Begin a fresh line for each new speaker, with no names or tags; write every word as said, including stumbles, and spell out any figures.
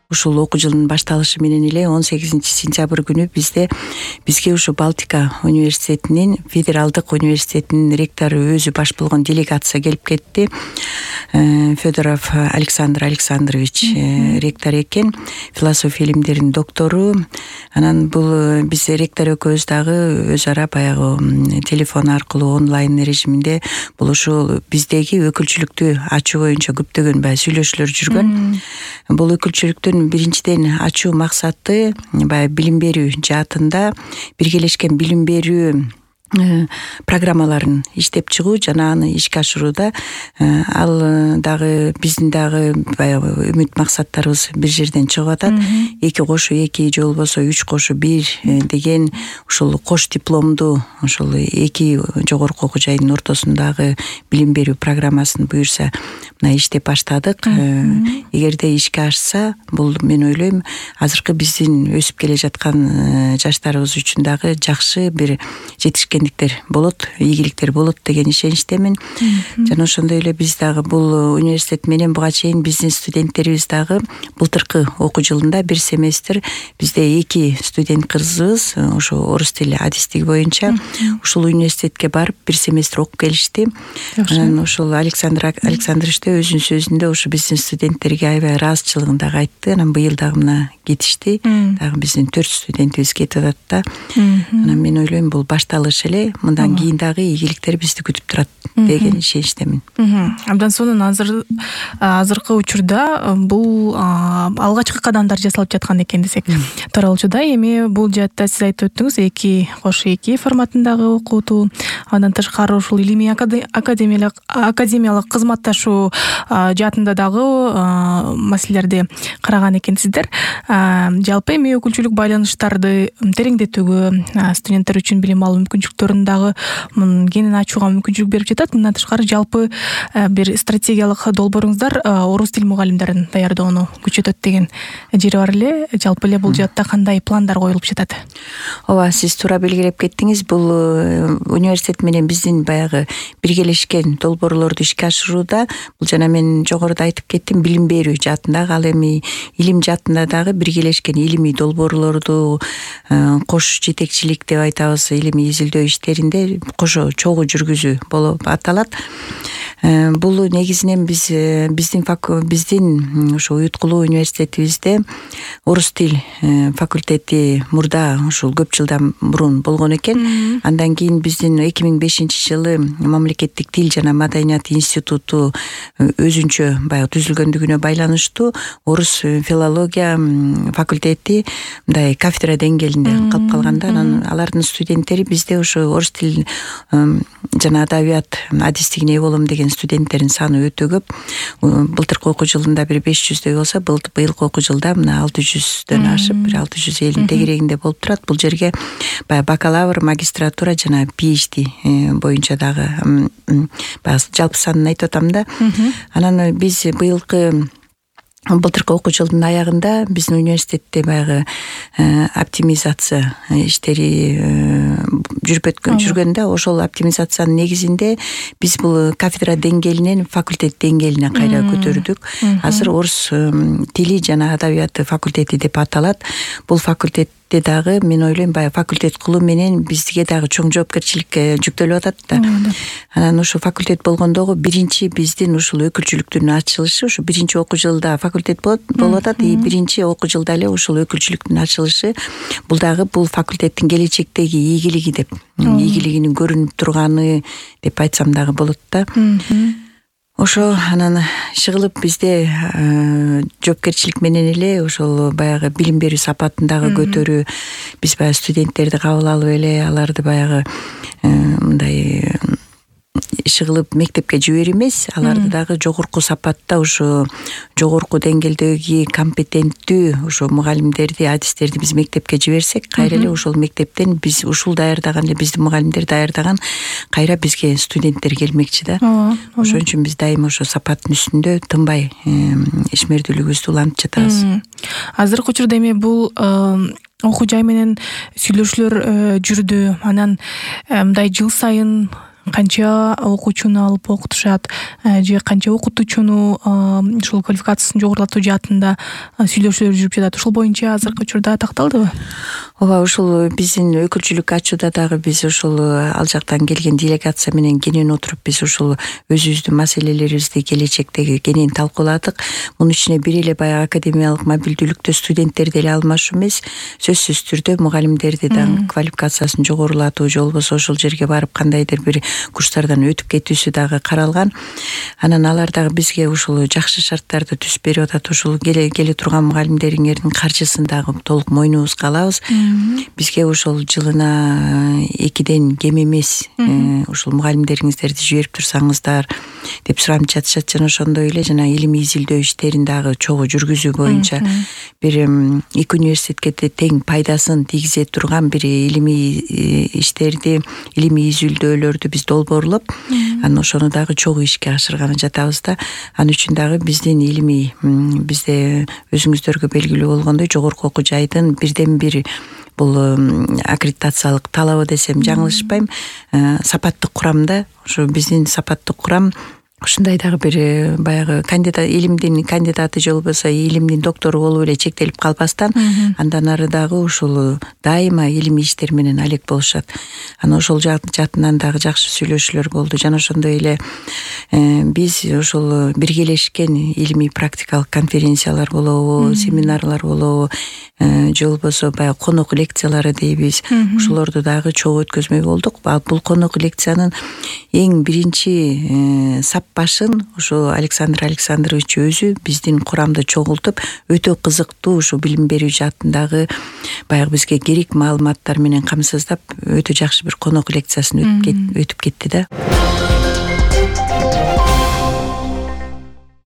ушул окуу жылынын башталышы менен эле он сегизинчи сентябрь күнү бизде бизге ушу Балтика университетинин федералдык университетинин ректору өзү баш болгон делегация келип кетти. Федоров Александр Александрович ректор экен, философия илимдеринин доктору. Анан бул биз ректор экөөбүз дагы өз ара баягы телефон аркылуу онлайн режиминде бул ушул биздеги өкүлчүлүктү ачуу боюнча көптөгөн баягы сүйлөшүүлөр жүргөн. Бул өкүлчүлүктүн биринчиден ачуу максаты баягы билим берүү жаатында биргелешкен билим берүү программаларын иштеп чыгуу жана аны ишке ашырууда ал дагы биздин дагы баягы үмүт максаттарыбыз бир жерден чыгып атат. Эки кошу эки же болбосо үч кошу бир деген ушул кош дипломдуу ушул эки жогорку окуу жайдын ортосундагы билим берүү программасын буюрса мына иштеп баштадык. Эгерде ишке ашса, бул мен ойлойм азыркы биздин өсүп келе жаткан жаштарыбыз үчүн дагы жакшы бир жетишкендиктер болот, ийгиликтер болот деген ишеничтемин. Жана ошондой эле биз дагы бул университет менен буга чейин биздин студенттерибиз дагы былтыркы окуу жылында бир семестр бизде эки студент кызыбыз ошо орус тили адистиги боюнча ушул университетке барып бир семестр окуп келишти. Анан ошол Александр Александрович өзүнүн сөзүндө ушу биздин студенттерге аябай ыраазычылыгын дагы айтты. Анан быйыл дагы мына кетишти. Дагы биздин төрт студентибиз кетип атат да. Анан мен ойлойм бул башталыш эле, мындан кийин дагы ийгиликтер бизди күтүп турат деген ишеничтемин.
Абдан сонун азыр азыркы учурда бул алгачкы кадамдар жасалып жаткан экен десек таралуучуда. Эми бул жаатта сиз айтып өттүңүз, эки кошу эки форматындагы окутуу, андан тышкары ушул илимий академиялык академиялык кызматташуу жаатында дагы маселелерди караган экенсиздер. Жалпы эми өкүлчүлүк байланыштарды тереңдетүүгө, студенттер үчүн билим алуу мүмкүнчүлүктөрүн дагы кеңинен ачууга мүмкүнчүлүк берип жатат. Мындан тышкары жалпы бир стратегиялык долбооруңуздар орус тил мугалимдерин даярдоону күчөтөт деген жери бар эле. Жалпы эле бул жаатта кандай пландар коюлуп жатат?
Ооба, сиз туура белгилеп кеттиңиз. Бул университет менен биздин баягы биргелешкен долбоорлорду ишке ашырууда бул жана мен жогоруда айтып кеттим, билим берүү жаатындагы, ал эми илим жаатында дагы биргелешкен илимий долбоорлорду кош жетекчилик деп айтабыз, илимий изилдөө иштеринде кошо чогуу жүргүзүү болуп аталат. Бул негизинен биз биздин биздин ушу уюткулуу университетибизде орус тил факультети мурда ушул көп жылдан мурун болгон экен. Андан кийин биздин эки миң бешинчи жылы мамлекеттик тил жана маданият институту өзүнчө баягы түзүлгөндүгүнө байланыштуу орус филология факультети мындай кафедра деңгээлинде калып калганда, анан алардын студенттери бизде ошо орус тил жана адабият адистигине ээ болом деген студенттердин саны өтө көп. Былтыркы окуу жылында бир беш жүздөй болсо, быйылкы окуу жылда мына алты жүздөн ашып бир алты жүз элүүнүн тегерегинде болуп турат. Бул жерге баягы бакалавр, магистратура жана PhD боюнча дагы баягы жалпы санын айтып атам да. Анан биз быйылкы былтыркы окуу жылдын аягында биздин университетте баягы оптимизация иштери жүрүп жүргөн да. Ошол оптимизациянын негизинде биз бул кафедра деңгээлинен факультет деңгээлине кайра көтөрдүк. Азыр орус тили жана адабияты факультети деп аталат. Бул факультет дагы мен ойлойм баягы факультет кылуу менен бизге дагы чоң жоопкерчилик жүктөлүп атат да. Анан ошо факультет болгондогу биринчи биздин ушул өкүлчүлүктүн ачылышы, ушу биринчи окуу жылда факультет болуп атат, и биринчи окуу жылда эле ушул өкүлчүлүктүн ачылышы. Бул дагы бул факультеттин келечектеги ийгилиги деп, ийгилигинин көрүнүп турганы деп айтсам дагы болот да. Ошо анан чыгылып бизде жоопкерчилик менен эле ошол баягы билим берүү сапатын дагы көтөрүү, биз баягы студенттерди кабыл алып эле аларды баягы мындай чыгылып мектепке жиберүү эмес, аларды дагы жогорку сапатта ушу жогорку деңгээлдеги компетенттүү ушу мугалимдерди, адистерди биз мектепке жиберсек, кайра эле ошол мектептен биз ушул даярдаган эле биздин мугалимдер даярдаган кайра бизге студенттер келмекчи да. Ошон үчүн биз дайыма ошо сапаттын үстүндө тынбай ишмердүүлүгүбүздү улантып жатабыз.
Азыркы учурда эми бул окуу жай менен сүйлөшүүлөр жүрдү. Анан мындай жыл сайын канча окуучуну алып окутушат же канча окутуучуну ушул квалификациясын жогорулатуу жаатында сүйлөшүүлөр жүрүп жатат. Ушул боюнча азыркы учурда такталдыбы?
Ооба, ушул биздин өкүлчүлүк ачууда дагы биз ушул ал жактан келген делегация менен кенен отуруп биз ушул өзүбүздүн маселелерибизди келечектеги кенен талкууладык. Мунун ичине бир эле баягы академиялык мобилдүүлүктө студенттерди эле алмашуу эмес, сөзсүз түрдө мугалимдерди да квалификациясын жогорулатуу же болбосо ошол жерге барып кандайдыр бир курстардан өтүп кетүүсү дагы каралган. Анан алар дагы бизге ушул жакшы шарттарды түзүп берип атат. Ушул келе келе турган мугалимдериңердин каржысын дагы толук мойнубузга алабыз. Бизге ошол жылына экиден кем эмес ушул мугалимдериңиздерди жиберип турсаңыздар деп суранып жатышат. Жана ошондой эле жана илимий изилдөө иштерин дагы чогуу жүргүзүү боюнча бир эки университетке тең пайдасын тийгизе турган бир илимий иштерди, илимий изилдөөлөрдү биз долбоорлоп, анан ошону дагы чогуу ишке ашырганы жатабыз да. Анын үчүн дагы биздин илимий бизде өзүңүздөргө белгилүү болгондой жогорку окуу жайдын бирден бир бул аккредитациялык талабы десем жаңылышпайм, сапаттык курамда. Ошо биздин сапаттык курам ушундай дагы бир баягы кандидат, илимдин кандидаты же болбосо илимдин доктору болуп эле чектелип калбастан, андан ары дагы ушул дайыма илимий иштер менен алек болушат. Анан ошол жаатынан дагы жакшы сүйлөшүүлөр болду. Жана ошондой эле биз ошол биргелешкен илимий практикалык конференциялар болобу, семинарлар болобу, же болбосо баягы конок лекциялары дейбиз. Ушулорду дагы чогуу өткөзмөй болдук. Бул конок лекциянын эң биринчи сап башын ушу Александр Александрович өзү биздин курамды чогултуп, өтө кызыктуу ушу билим берүү жаатындагы баягы бизге керек маалыматтар менен камсыздап, өтө жакшы бир конок лекциясын өтүп кетти да.